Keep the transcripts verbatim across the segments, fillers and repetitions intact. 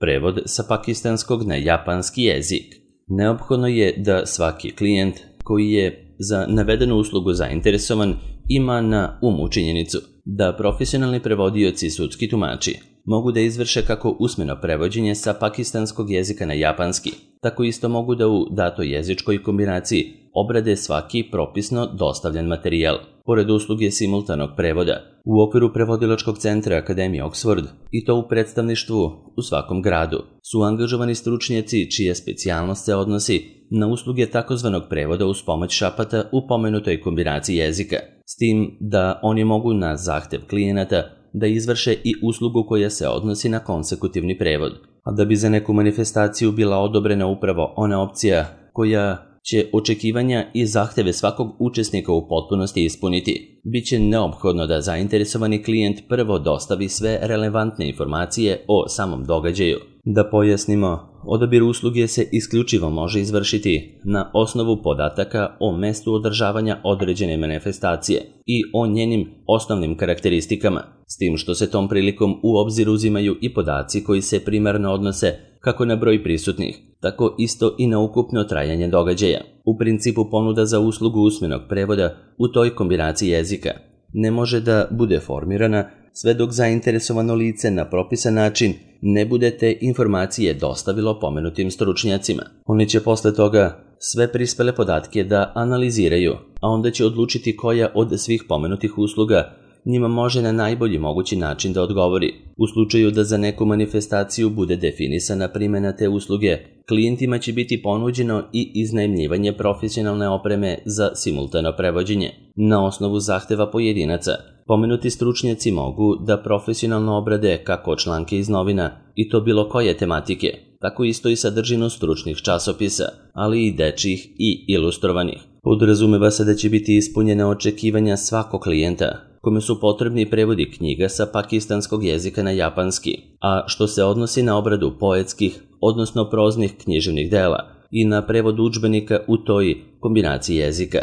prevod sa pakistanskog na japanski jezik. Neophodno je da svaki klijent koji je za navedenu uslugu zainteresovan ima na umu činjenicu da profesionalni prevodioci i sudski tumači mogu da izvrše kako usmeno prevođenje sa pakistanskog jezika na japanski, tako isto mogu da u datoj jezičkoj kombinaciji obrade svaki propisno dostavljen materijal. Pored usluge simultanog prevoda, u okviru prevodilačkog centra Akademije Oxford, i to u predstavništvu u svakom gradu, su angažovani stručnjaci čija specijalnost se odnosi na usluge takozvanog prevoda uz pomoć šapata u pomenutoj kombinaciji jezika, s tim da oni mogu na zahtev klijenata da izvrše i uslugu koja se odnosi na konsekutivni prevod, a da bi za neku manifestaciju bila odobrena upravo ona opcija koja će očekivanja i zahteve svakog učesnika u potpunosti ispuniti, bit će neophodno da zainteresovani klijent prvo dostavi sve relevantne informacije o samom događaju. Da pojasnimo, odabir usluge se isključivo može izvršiti na osnovu podataka o mestu održavanja određene manifestacije i o njenim osnovnim karakteristikama, s tim što se tom prilikom u obzir uzimaju i podaci koji se primarno odnose kako na broj prisutnih, tako isto i na ukupno trajanje događaja. U principu ponuda za uslugu usmenog prevoda u toj kombinaciji jezika ne može da bude formirana sve dok zainteresovano lice na propisan način ne bude te informacije dostavilo pomenutim stručnjacima. Oni će posle toga sve prispele podatke da analiziraju, a onda će odlučiti koja od svih pomenutih usluga njima može na najbolji mogući način da odgovori. U slučaju da za neku manifestaciju bude definisana primjena te usluge, klijentima će biti ponuđeno i iznajmljivanje profesionalne opreme za simultano prevođenje. Na osnovu zahteva pojedinaca, pomenuti stručnjaci mogu da profesionalno obrade kako članke iz novina, i to bilo koje tematike, tako isto i sadržinu stručnih časopisa, ali i dečjih i ilustrovanih. Podrazumeva se da će biti ispunjena očekivanja svakog klijenta, kome su potrebni prevodi knjiga sa pakistanskog jezika na japanski, a što se odnosi na obradu poetskih, odnosno proznih književnih dela i na prevod udžbenika u toj kombinaciji jezika.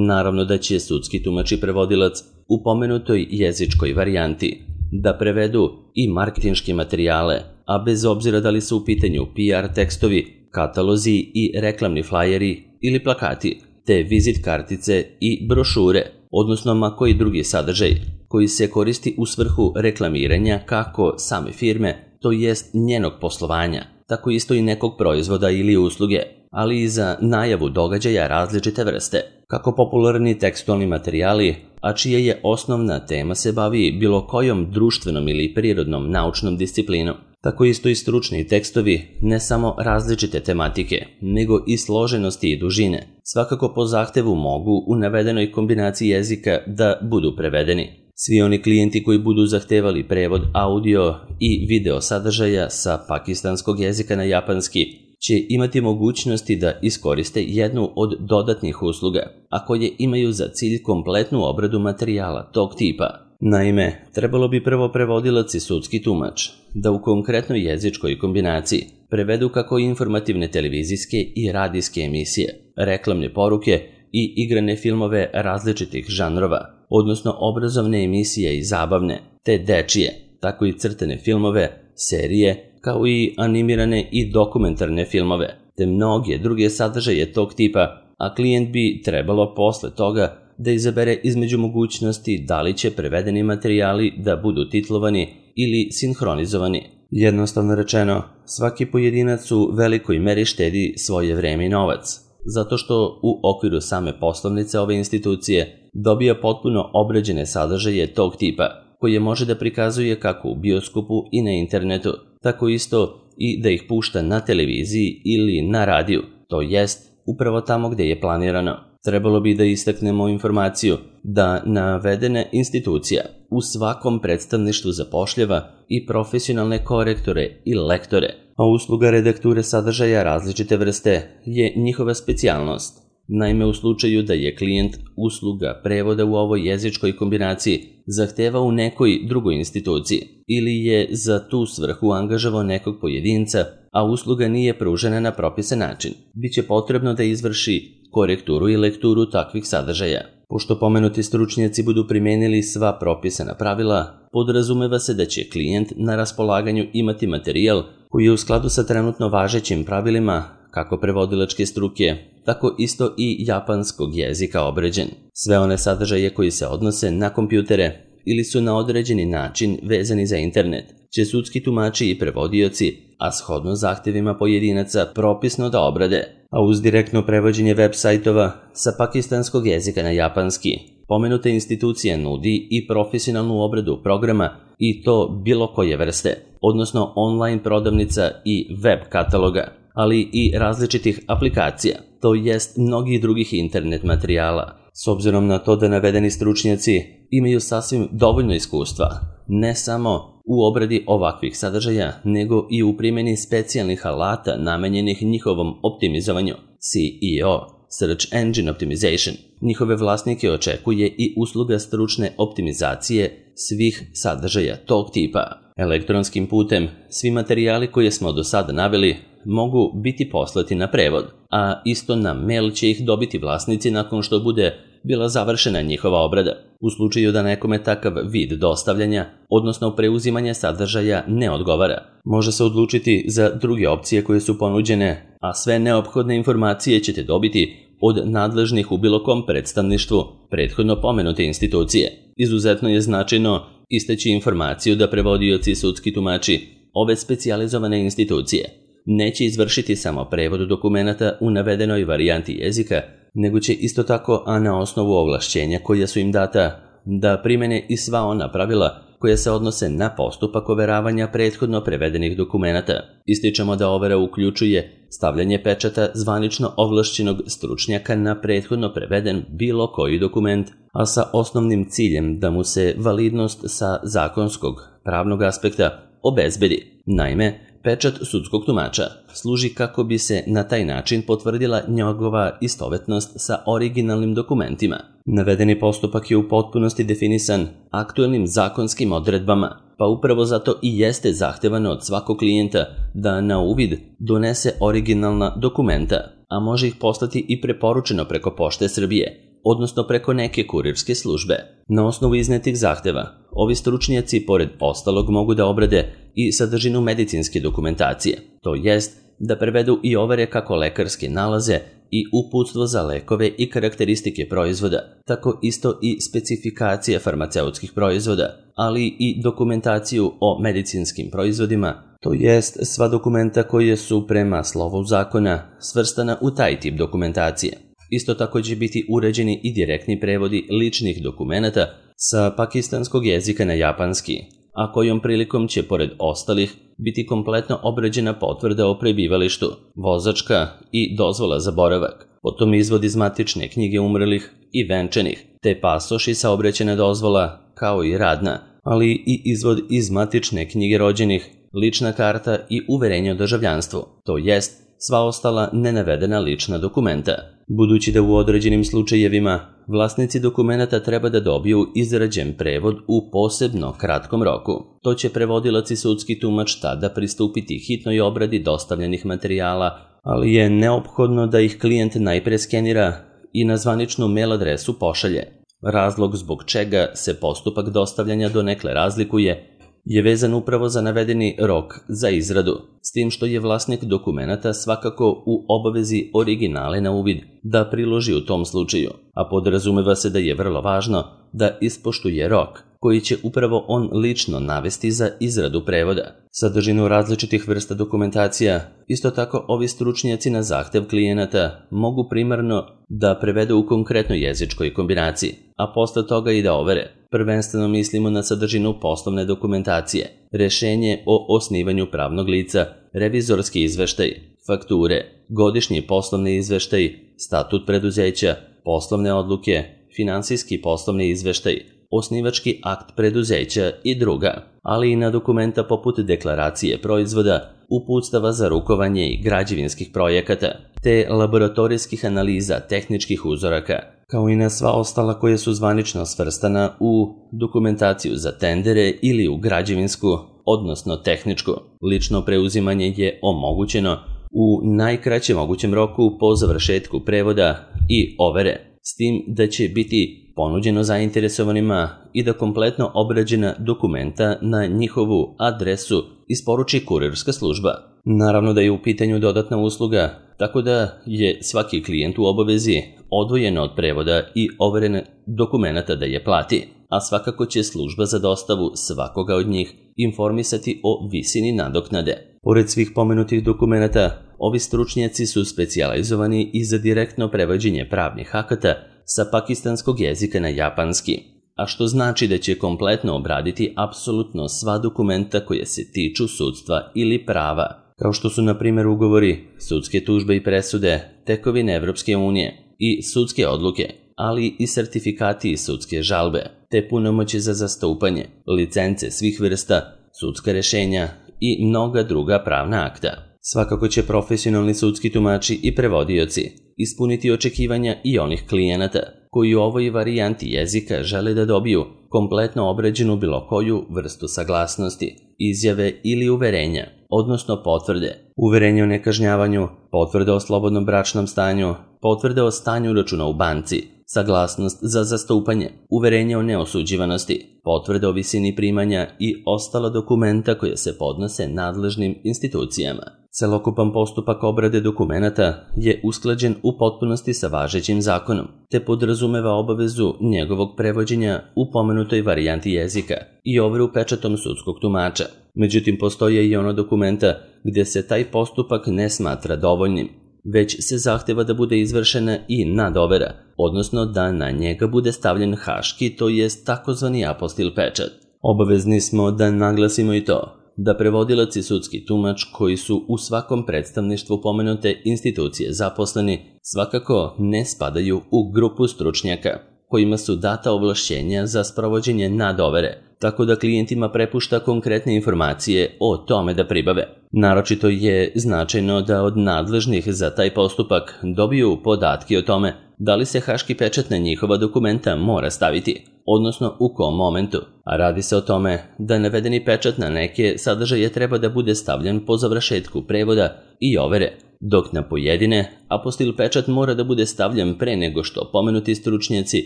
Naravno da će sudski tumač i prevodilac u pomenutoj jezičkoj varijanti da prevedu i marketinške materijale, a bez obzira da li su u pitanju P R tekstovi, katalozi i reklamni flajeri ili plakati, te vizit kartice i brošure, odnosno ma koji drugi sadržaj koji se koristi u svrhu reklamiranja kako same firme, to jest njenog poslovanja, tako isto i nekog proizvoda ili usluge, ali i za najavu događaja različite vrste, kako popularni tekstualni materijali, a čija je osnovna tema se bavi bilo kojom društvenom ili prirodnom naučnom disciplinom, tako isto i stručni tekstovi, ne samo različite tematike, nego i složenosti i dužine, svakako po zahtevu mogu u navedenoj kombinaciji jezika da budu prevedeni. Svi oni klijenti koji budu zahtevali prevod audio i video sadržaja sa pakistanskog jezika na japanski će imati mogućnosti da iskoriste jednu od dodatnih usluga, a koje imaju za cilj kompletnu obradu materijala tog tipa. Naime, trebalo bi prvo prevodilac i sudski tumač da u konkretnoj jezičkoj kombinaciji prevedu kako informativne televizijske i radijske emisije, reklamne poruke i igrane filmove različitih žanrova, odnosno obrazovne emisije i zabavne, te dečije, tako i crtane filmove, serije, kao i animirane i dokumentarne filmove, te mnoge druge sadržaje tog tipa, a klijent bi trebalo posle toga da izabere između mogućnosti da li će prevedeni materijali da budu titlovani ili sinhronizovani. Jednostavno rečeno, svaki pojedinac u velikoj meri štedi svoje vreme i novac, zato što u okviru same poslovnice ove institucije dobija potpuno obrađene sadržaje tog tipa, koje može da prikazuje kako u bioskopu i na internetu, tako isto i da ih pušta na televiziji ili na radiju, to jest upravo tamo gde je planirano. Trebalo bi da istaknemo informaciju da navedena institucija u svakom predstavništvu zapošljava i profesionalne korektore i lektore, a usluga redakture sadržaja različite vrste je njihova specijalnost. Naime, u slučaju da je klijent usluga prevoda u ovoj jezičkoj kombinaciji zahteva u nekoj drugoj instituciji ili je za tu svrhu angažovao nekog pojedinca, a usluga nije pružena na propisan način, biće potrebno da izvrši korekturu i lekturu takvih sadržaja. Pošto pomenuti stručnjaci budu primijenili sva propisana pravila, podrazumeva se da će klijent na raspolaganju imati materijal koji je u skladu sa trenutno važećim pravilima kako prevodilačke struke, tako isto i japanskog jezika obrađen. Sve one sadržaje koji se odnose na kompjutere ili su na određeni način vezani za internet, će sudski tumači i prevodioci, a shodno zahtjevima pojedinaca, propisno da obrade, a uz direktno prevođenje web sajtova sa pakistanskog jezika na japanski. Pomenuta institucija nudi i profesionalnu obradu programa i to bilo koje vrste, odnosno online prodavnica i web kataloga, ali i različitih aplikacija, to jest mnogih drugih internet materijala. S obzirom na to da navedeni stručnjaci imaju sasvim dovoljno iskustva, ne samo u obradi ovakvih sadržaja, nego i u primjeni specijalnih alata namenjenih njihovom optimizovanju, C E O, Search Engine Optimization. Njihove vlasnike očekuje i usluga stručne optimizacije svih sadržaja tog tipa. Elektronskim putem svi materijali koje smo do sada naveli mogu biti poslati na prevod, a isto na mail će ih dobiti vlasnici nakon što bude bila završena njihova obrada. U slučaju da nekome takav vid dostavljanja, odnosno preuzimanja sadržaja, ne odgovara, može se odlučiti za druge opcije koje su ponuđene, a sve neophodne informacije ćete dobiti od nadležnih u bilo kom predstavništvu prethodno pomenute institucije. Izuzetno je značajno istaći informaciju da prevodioci i sudski tumači ove specijalizovane institucije neće izvršiti samo prevod dokumenata u navedenoj varijanti jezika, nego će isto tako, a na osnovu ovlašćenja koja su im data, da primene i sva ona pravila koja se odnose na postupak overavanja prethodno prevedenih dokumenata. Ističemo da overa uključuje stavljanje pečata zvanično ovlašćenog stručnjaka na prethodno preveden bilo koji dokument, a sa osnovnim ciljem da mu se validnost sa zakonskog pravnog aspekta obezbedi. Naime, pečat sudskog tumača služi kako bi se na taj način potvrdila njegova istovetnost sa originalnim dokumentima. Navedeni postupak je u potpunosti definisan aktuelnim zakonskim odredbama, pa upravo zato i jeste zahtevano od svakog klijenta da na uvid donese originalna dokumenta, a može ih poslati i preporučeno preko Pošte Srbije, odnosno preko neke kurirske službe. Na osnovu iznetih zahteva, ovi stručnjaci pored ostalog mogu da obrade i sadržinu medicinske dokumentacije, to jest da prevedu i overe kako lekarske nalaze i uputstvo za lekove i karakteristike proizvoda, tako isto i specifikacije farmaceutskih proizvoda, ali i dokumentaciju o medicinskim proizvodima, to jest sva dokumenta koje su prema slovu zakona svrstana u taj tip dokumentacije. Isto tako će biti uređeni i direktni prevodi ličnih dokumenata sa pakistanskog jezika na japanski, a kojom prilikom će, pored ostalih, biti kompletno obrađena potvrda o prebivalištu, vozačka i dozvola za boravak, potom izvod iz matične knjige umrlih i venčanih, te pasoš i saobraćajna dozvola, kao i radna, ali i izvod iz matične knjige rođenih, lična karta i uverenje o državljanstvu, to jest sva ostala nenavedena lična dokumenta. Budući da u određenim slučajevima vlasnici dokumenata treba da dobiju izrađen prevod u posebno kratkom roku, to će prevodilac i sudski tumač tada pristupiti hitnoj obradi dostavljenih materijala, ali je neophodno da ih klijent najpre skenira i na zvaničnu mail adresu pošalje. Razlog zbog čega se postupak dostavljanja donekle razlikuje je vezan upravo za navedeni rok za izradu, s tim što je vlasnik dokumenata svakako u obavezi originale na uvid da priloži u tom slučaju, a podrazumeva se da je vrlo važno da ispoštuje rok koji će upravo on lično navesti za izradu prevoda. Sadržinu različitih vrsta dokumentacija, isto tako ovi stručnjaci na zahtev klijenata mogu primarno da prevedu u konkretnoj jezičkoj kombinaciji, a posle toga i da overe. Prvenstveno mislimo na sadržinu poslovne dokumentacije, rešenje o osnivanju pravnog lica, revizorski izveštaj, fakture, godišnji poslovni izveštaj, statut preduzeća, poslovne odluke, finansijski poslovni izveštaj, osnivački akt preduzeća i druga, ali i na dokumenta poput deklaracije proizvoda, uputstava za rukovanje i građevinskih projekata, te laboratorijskih analiza tehničkih uzoraka, kao i na sva ostala koja su zvanično svrstana u dokumentaciju za tendere ili u građevinsku, odnosno tehničku. Lično preuzimanje je omogućeno u najkraćem mogućem roku po završetku prevoda i overe, s tim da će biti ponuđeno zainteresovanima i da kompletno obrađena dokumenta na njihovu adresu isporuči kurirska služba. Naravno da je u pitanju dodatna usluga, tako da je svaki klijent u obavezi odvojeno od prevoda i overene dokumenata da je plati, a svakako će služba za dostavu svakoga od njih informisati o visini nadoknade. Pored svih pomenutih dokumenata, ovi stručnjaci su specijalizovani i za direktno prevođenje pravnih akata sa pakistanskog jezika na japanski, a što znači da će kompletno obraditi apsolutno sva dokumenta koje se tiču sudstva ili prava, kao što su na primjer ugovori, sudske tužbe i presude, tekovine Evropske unije i sudske odluke, ali i sertifikati i sudske žalbe, te punomoći za zastupanje, licence svih vrsta, sudska rešenja i mnoga druga pravna akta. Svakako će profesionalni sudski tumači i prevodioci ispuniti očekivanja i onih klijenata koji u ovoj varijanti jezika žele da dobiju kompletno obrađenu bilo koju vrstu saglasnosti, izjave ili uverenja, odnosno potvrde, uverenje o nekažnjavanju, potvrde o slobodnom bračnom stanju, potvrde o stanju računa u banci, saglasnost za zastupanje, uverenje o neosuđivanosti, potvrde o visini primanja i ostala dokumenta koje se podnose nadležnim institucijama. Celokupan postupak obrade dokumenata je usklađen u potpunosti sa važećim zakonom, te podrazumeva obavezu njegovog prevođenja u pomenutoj varijanti jezika i overu pečatom sudskog tumača. Međutim, postoje i ono dokumenta gdje se taj postupak ne smatra dovoljnim, već se zahteva da bude izvršena i nadovera, odnosno da na njega bude stavljen haški, to jest takozvani apostil pečat. Obavezni smo da naglasimo i to da prevodilac i sudski tumač koji su u svakom predstavništvu pomenute institucije zaposleni svakako ne spadaju u grupu stručnjaka kojima su data ovlašćenja za sprovođenje nadovere, tako da klijentima prepušta konkretne informacije o tome da pribave. Naročito je značajno da od nadležnih za taj postupak dobiju podatke o tome da li se haški pečat na njihova dokumenta mora staviti, odnosno u kom momentu, a radi se o tome da navedeni pečat na neke sadržaje treba da bude stavljen po završetku prevoda i overe, dok na pojedine apostil pečat mora da bude stavljen pre nego što pomenuti stručnjaci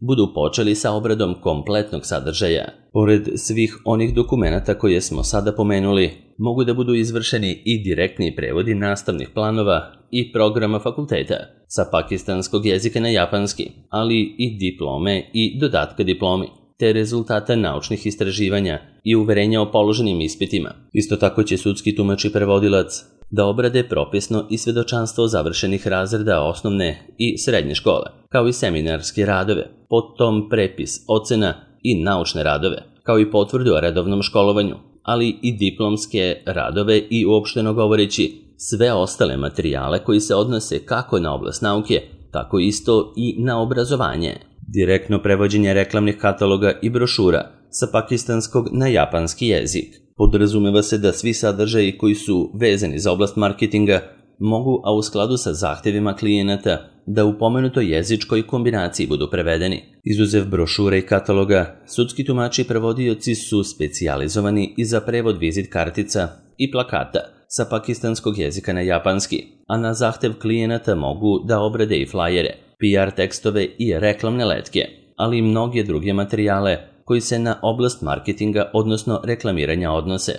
budu počeli sa obradom kompletnog sadržaja. Pored svih onih dokumenata koje smo sada pomenuli, mogu da budu izvršeni i direktni prevodi nastavnih planova i programa fakulteta sa pakistanskog jezika na japanski, ali i diplome i dodatka diplomi, te rezultata naučnih istraživanja i uverenja o položenim ispitima. Isto tako će sudski tumač i prevodilac da obrade propisno i svedočanstvo završenih razreda osnovne i srednje škole, kao i seminarske radove, potom prepis ocena i naučne radove, kao i potvrdu o redovnom školovanju, ali i diplomske radove i uopšteno govoreći sve ostale materijale koji se odnose kako na oblast nauke, tako isto i na obrazovanje. Direktno prevođenje reklamnih kataloga i brošura sa pakistanskog na japanski jezik. Podrazumeva se da svi sadržaji koji su vezani za oblast marketinga mogu, a u skladu sa zahtevima klijenata, da u pomenutoj jezičkoj kombinaciji budu prevedeni. Izuzev brošura i kataloga, sudski tumači i prevodioci su specijalizovani i za prevod vizit kartica i plakata sa pakistanskog jezika na japanski, a na zahtev klijenata mogu da obrade i flajere, P R tekstove i reklamne letke, ali i mnoge druge materijale koji se na oblast marketinga, odnosno reklamiranja odnose.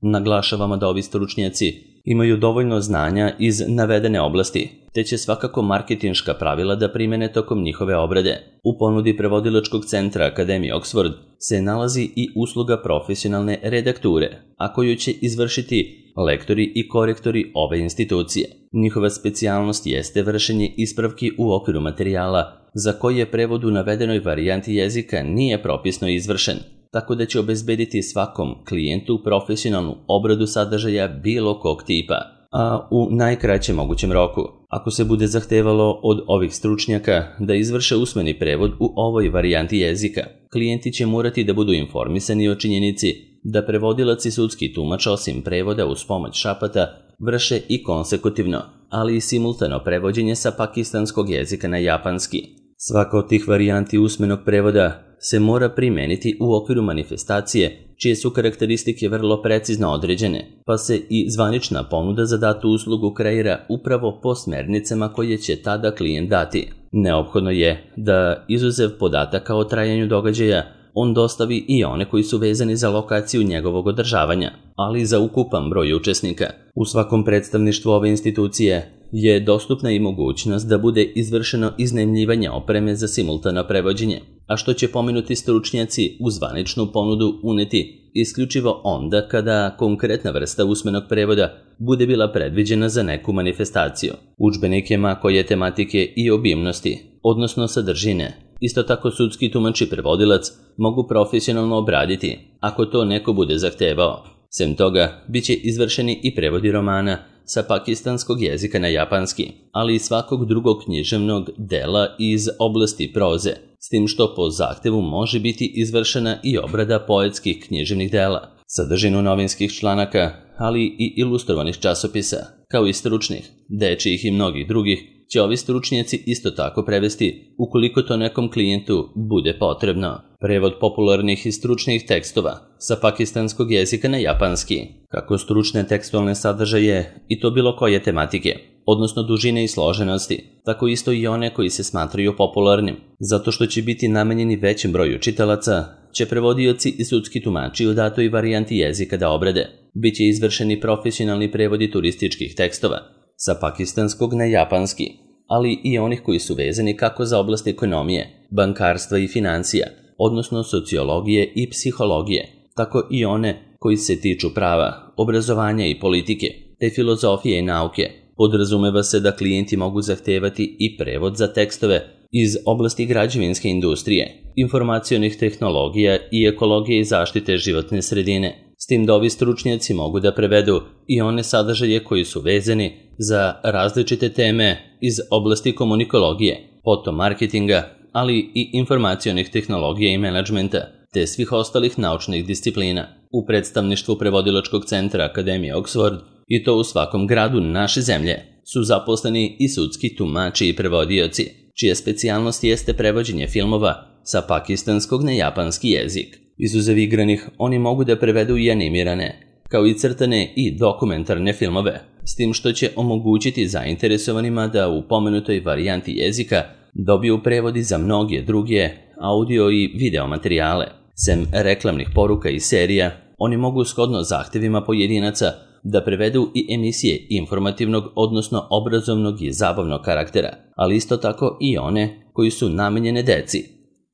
Naglašavamo da ovi stručnjaci imaju dovoljno znanja iz navedene oblasti, te će svakako marketinška pravila da primene tokom njihove obrade. U ponudi prevodilačkog centra Akademije Oxford se nalazi i usluga profesionalne redakture, a koju će izvršiti lektori i korektori ove institucije. Njihova specijalnost jeste vršenje ispravki u okviru materijala za koje prevod u navedenoj varijanti jezika nije propisno izvršen, tako da će obezbediti svakom klijentu profesionalnu obradu sadržaja bilo kog tipa, a u najkraćem mogućem roku. Ako se bude zahtevalo od ovih stručnjaka da izvrše usmeni prevod u ovoj varijanti jezika, klijenti će morati da budu informisani o činjenici da prevodilac i sudski tumač osim prevoda uz pomoć šapata vrše i konsekutivno, ali i simultano prevođenje sa pakistanskog jezika na japanski. Svaka od tih varijanti usmenog prevoda se mora primeniti u okviru manifestacije, čije su karakteristike vrlo precizno određene, pa se i zvanična ponuda za datu uslugu kreira upravo po smernicama koje će tada klijent dati. Neophodno je da, izuzev podataka o trajanju događaja, on dostavi i one koji su vezani za lokaciju njegovog održavanja, ali i za ukupan broj učesnika. U svakom predstavništvu ove institucije je dostupna i mogućnost da bude izvršeno iznajmljivanje opreme za simultano prevođenje, a što će pomenuti stručnjaci u zvaničnu ponudu uneti isključivo onda kada konkretna vrsta usmenog prevoda bude bila predviđena za neku manifestaciju. Udžbenike ma koje tematike i obimnosti, odnosno sadržine, isto tako sudski tumač i prevodilac mogu profesionalno obraditi ako to neko bude zahtevao. Sem toga, bit će izvršeni i prevodi romana sa pakistanskog jezika na japanski, ali i svakog drugog književnog dela iz oblasti proze, s tim što po zahtevu može biti izvršena i obrada poetskih književnih dela. Sadržinu novinskih članaka, ali i ilustrovanih časopisa, kao i stručnih, dečijih i mnogih drugih, će ovi stručnjaci isto tako prevesti ukoliko to nekom klijentu bude potrebno. Prevod popularnih i stručnih tekstova sa pakistanskog jezika na japanski, kako stručne tekstualne sadržaje i to bilo koje tematike, odnosno dužine i složenosti, tako isto i one koji se smatraju popularnim. Zato što će biti namenjeni većem broju čitalaca, će prevodioci i sudski tumači u datoj varijanti jezika da obrade. Biće izvršeni profesionalni prevodi turističkih tekstova sa pakistanskog na japanski, ali i onih koji su vezani kako za oblast ekonomije, bankarstva i financija, odnosno sociologije i psihologije, tako i one koji se tiču prava, obrazovanja i politike, te filozofije i nauke. Podrazumeva se da klijenti mogu zahtevati i prevod za tekstove iz oblasti građevinske industrije, informacionih tehnologija i ekologije i zaštite životne sredine, s tim da ovi stručnjaci mogu da prevedu i one sadržaje koji su vezani za različite teme iz oblasti komunikologije, potom marketinga, ali i informacionih tehnologija i menadžmenta, te svih ostalih naučnih disciplina. U predstavništvu prevodilačkog centra Akademije Oxford, i to u svakom gradu naše zemlje, su zaposleni i sudski tumači i prevodioci, čija specijalnost jeste prevođenje filmova sa pakistanskog na japanski jezik. Izuzev igranih, oni mogu da prevedu i animirane, kao i crtane i dokumentarne filmove, s tim što će omogućiti zainteresovanima da u pomenutoj varijanti jezika dobiju prevodi za mnoge druge audio i video materijale. Sem reklamnih poruka i serija, oni mogu shodno zahtevima pojedinaca da prevedu i emisije informativnog, odnosno obrazovnog i zabavnog karaktera, ali isto tako i one koji su namenjene deci,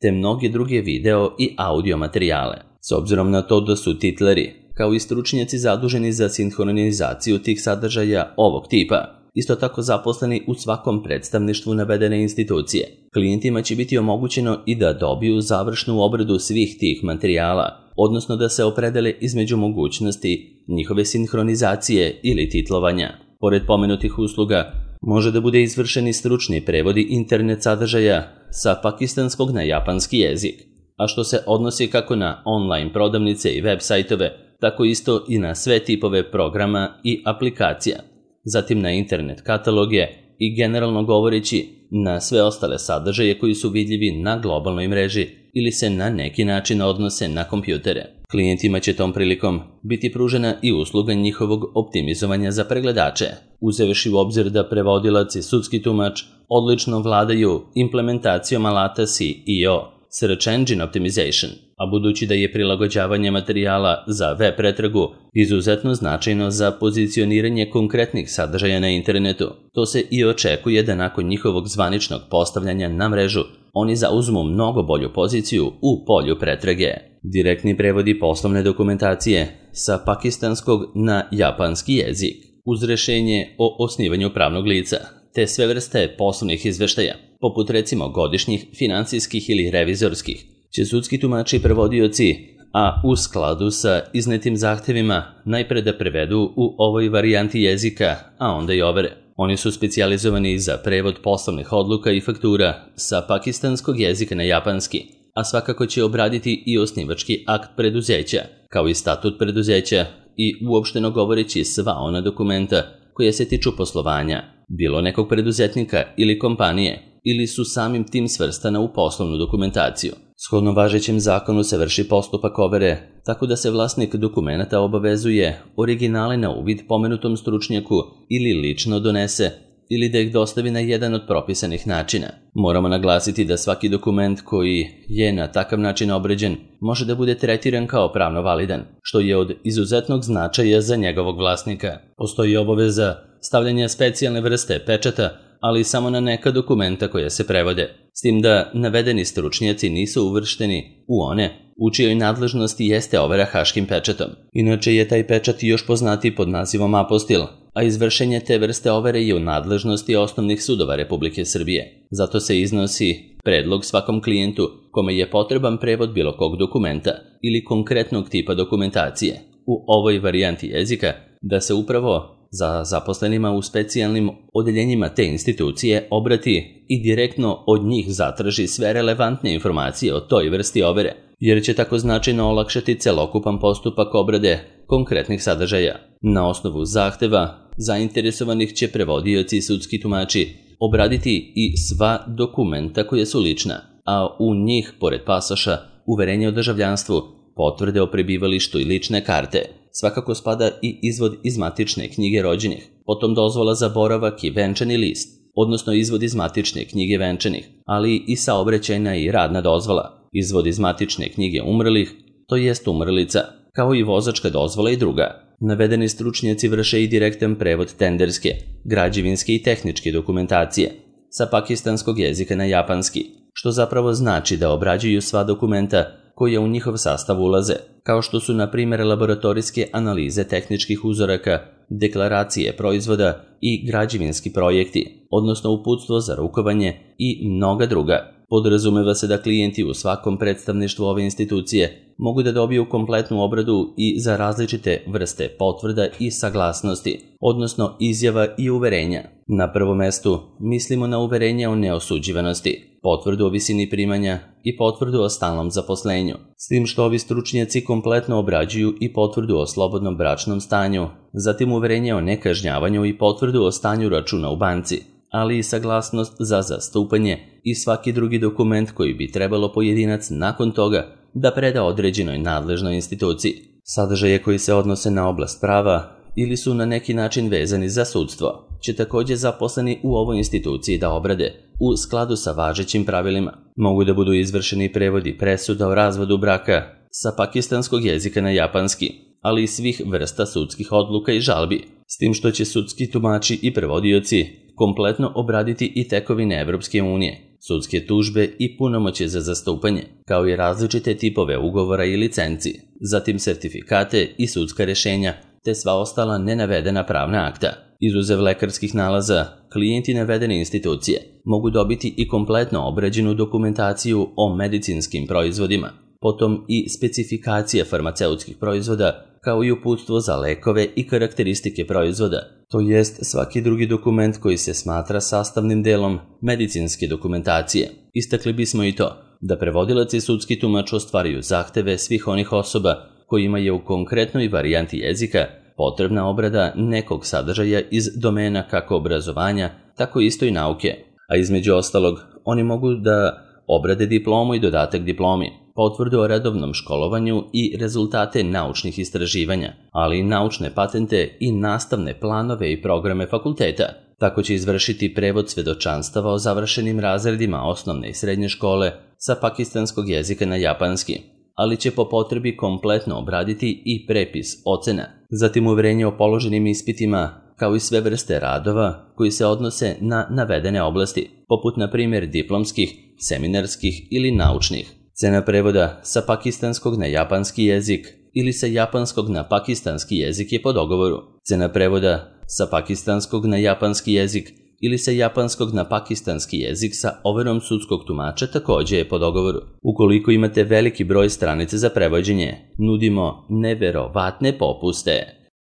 te mnoge druge video i audio materijale. S obzirom na to da su titleri, kao i stručnjaci zaduženi za sinhronizaciju tih sadržaja ovog tipa, isto tako zaposleni u svakom predstavništvu navedene institucije, klijentima će biti omogućeno i da dobiju završnu obradu svih tih materijala, odnosno da se opredele između mogućnosti njihove sinhronizacije ili titlovanja. Pored pomenutih usluga, može da bude izvršeni stručni prevodi internet sadržaja sa pakistanskog na japanski jezik, a što se odnosi kako na online prodavnice i web sajtove, tako isto i na sve tipove programa i aplikacija, zatim na internet kataloge i generalno govoreći na sve ostale sadržaje koji su vidljivi na globalnoj mreži ili se na neki način odnose na kompjutere. Klijentima će tom prilikom biti pružena i usluga njihovog optimizovanja za pregledače, uzevši u obzir da prevodilac i sudski tumač odlično vladaju implementacijom alata S E O, Search Engine Optimization, a budući da je prilagođavanje materijala za web pretragu izuzetno značajno za pozicioniranje konkretnih sadržaja na internetu, to se i očekuje da nakon njihovog zvaničnog postavljanja na mrežu oni zauzmu mnogo bolju poziciju u polju pretrage. Direktni prevodi poslovne dokumentacije sa pakistanskog na japanski jezik, uz rešenje o osnivanju pravnog lica, te sve vrste poslovnih izveštaja, poput recimo godišnjih, finansijskih ili revizorskih, će sudski tumači i prevodioci, a u skladu sa iznetim zahtevima, najpre da prevedu u ovoj varijanti jezika, a onda i overe. Oni su specijalizovani za prevod poslovnih odluka i faktura sa pakistanskog jezika na japanski, a svakako će obraditi i osnivački akt preduzeća, kao i statut preduzeća i uopšteno govoreći sva ona dokumenta koja se tiču poslovanja, bilo nekog preduzetnika ili kompanije, ili su samim tim svrstana u poslovnu dokumentaciju. Shodno važećem zakonu se vrši postupak overe, tako da se vlasnik dokumenata obavezuje originale na uvid pomenutom stručnjaku ili lično donese ili da ih dostavi na jedan od propisanih načina. Moramo naglasiti da svaki dokument koji je na takav način obrađen može da bude tretiran kao pravno validan, što je od izuzetnog značaja za njegovog vlasnika. Postoji obaveza stavljanja specijalne vrste pečata, ali samo na neka dokumenta koja se prevode, s tim da navedeni stručnjaci nisu uvršteni u one u čijoj nadležnosti jeste overa haškim pečatom. Inače je taj pečat još poznati pod nazivom apostil, a izvršenje te vrste overe je u nadležnosti osnovnih sudova Republike Srbije. Zato se iznosi predlog svakom klijentu kome je potreban prevod bilo kog dokumenta ili konkretnog tipa dokumentacije u ovoj varijanti jezika da se upravo za zaposlenima u specijalnim odeljenjima te institucije obrati i direktno od njih zatraži sve relevantne informacije o toj vrsti overe, jer će tako značajno olakšati celokupan postupak obrade konkretnih sadržaja. Na osnovu zahteva zainteresovanih će prevodioci i sudski tumači obraditi i sva dokumenta koja su lična, a u njih, pored pasoša, uverenje o državljanstvu, potvrde o prebivalištu i lične karte, svakako spada i izvod iz matične knjige rođenih, potom dozvola za boravak i venčani list, odnosno izvod iz matične knjige venčanih, ali i saobraćajna i radna dozvola, izvod iz matične knjige umrlih, to jest umrlica, kao i vozačka dozvola i druga. Navedeni stručnjaci vrše i direktan prevod tenderske, građevinske i tehničke dokumentacije sa pakistanskog jezika na japanski, što zapravo znači da obrađuju sva dokumenta koja u njihov sastav ulaze, kao što su na primjer laboratorijske analize tehničkih uzoraka, deklaracije proizvoda i građevinski projekti, odnosno uputstvo za rukovanje i mnoga druga. Podrazumeva se da klijenti u svakom predstavništvu ove institucije mogu da dobiju kompletnu obradu i za različite vrste potvrda i saglasnosti, odnosno izjava i uverenja. Na prvom mestu mislimo na uverenje o neosuđivanosti, potvrdu o visini primanja i potvrdu o stalnom zaposlenju, s tim što ovi stručnjaci kompletno obrađuju i potvrdu o slobodnom bračnom stanju, zatim uverenje o nekažnjavanju i potvrdu o stanju računa u banci, ali i saglasnost za zastupanje i svaki drugi dokument koji bi trebalo pojedinac nakon toga da preda određenoj nadležnoj instituciji. Sadržaje koji se odnose na oblast prava ili su na neki način vezani za sudstvo će također zaposleni u ovoj instituciji da obrade u skladu sa važećim pravilima. Mogu da budu izvršeni prevodi presuda o razvodu braka sa pakistanskog jezika na japanski, ali i svih vrsta sudskih odluka i žalbi, s tim što će sudski tumači i prevodioci kompletno obraditi i tekovine Evropske unije, sudske tužbe i punomoćje za zastupanje, kao i različite tipove ugovora i licenci, zatim sertifikate i sudska rešenja, te sva ostala nenavedena pravna akta. Izuzev lekarskih nalaza, klijenti navedene institucije mogu dobiti i kompletno obrađenu dokumentaciju o medicinskim proizvodima, potom i specifikacije farmaceutskih proizvoda, kao i uputstvo za lekove i karakteristike proizvoda, to jest svaki drugi dokument koji se smatra sastavnim delom medicinske dokumentacije. Istakli bismo i to da prevodilac i sudski tumač ostvaruju zahteve svih onih osoba kojima je u konkretnoj varijanti jezika potrebna obrada nekog sadržaja iz domena kako obrazovanja, tako isto i nauke, a između ostalog oni mogu da obrade diplomu i dodatak diplomi, potvrdu o redovnom školovanju i rezultate naučnih istraživanja, ali i naučne patente i nastavne planove i programe fakulteta. Tako će izvršiti prevod svedočanstava o završenim razredima osnovne i srednje škole sa pakistanskog jezika na japanski, ali će po potrebi kompletno obraditi i prepis ocena, zatim uverenje o položenim ispitima, kao i sve vrste radova koji se odnose na navedene oblasti, poput na primjer diplomskih, seminarskih ili naučnih. Cena prevoda sa pakistanskog na japanski jezik ili sa japanskog na pakistanski jezik je po dogovoru. Cena prevoda sa pakistanskog na japanski jezik ili sa japanskog na pakistanski jezik sa overom sudskog tumača također je po dogovoru. Ukoliko imate veliki broj stranica za prevođenje, nudimo neverovatne popuste.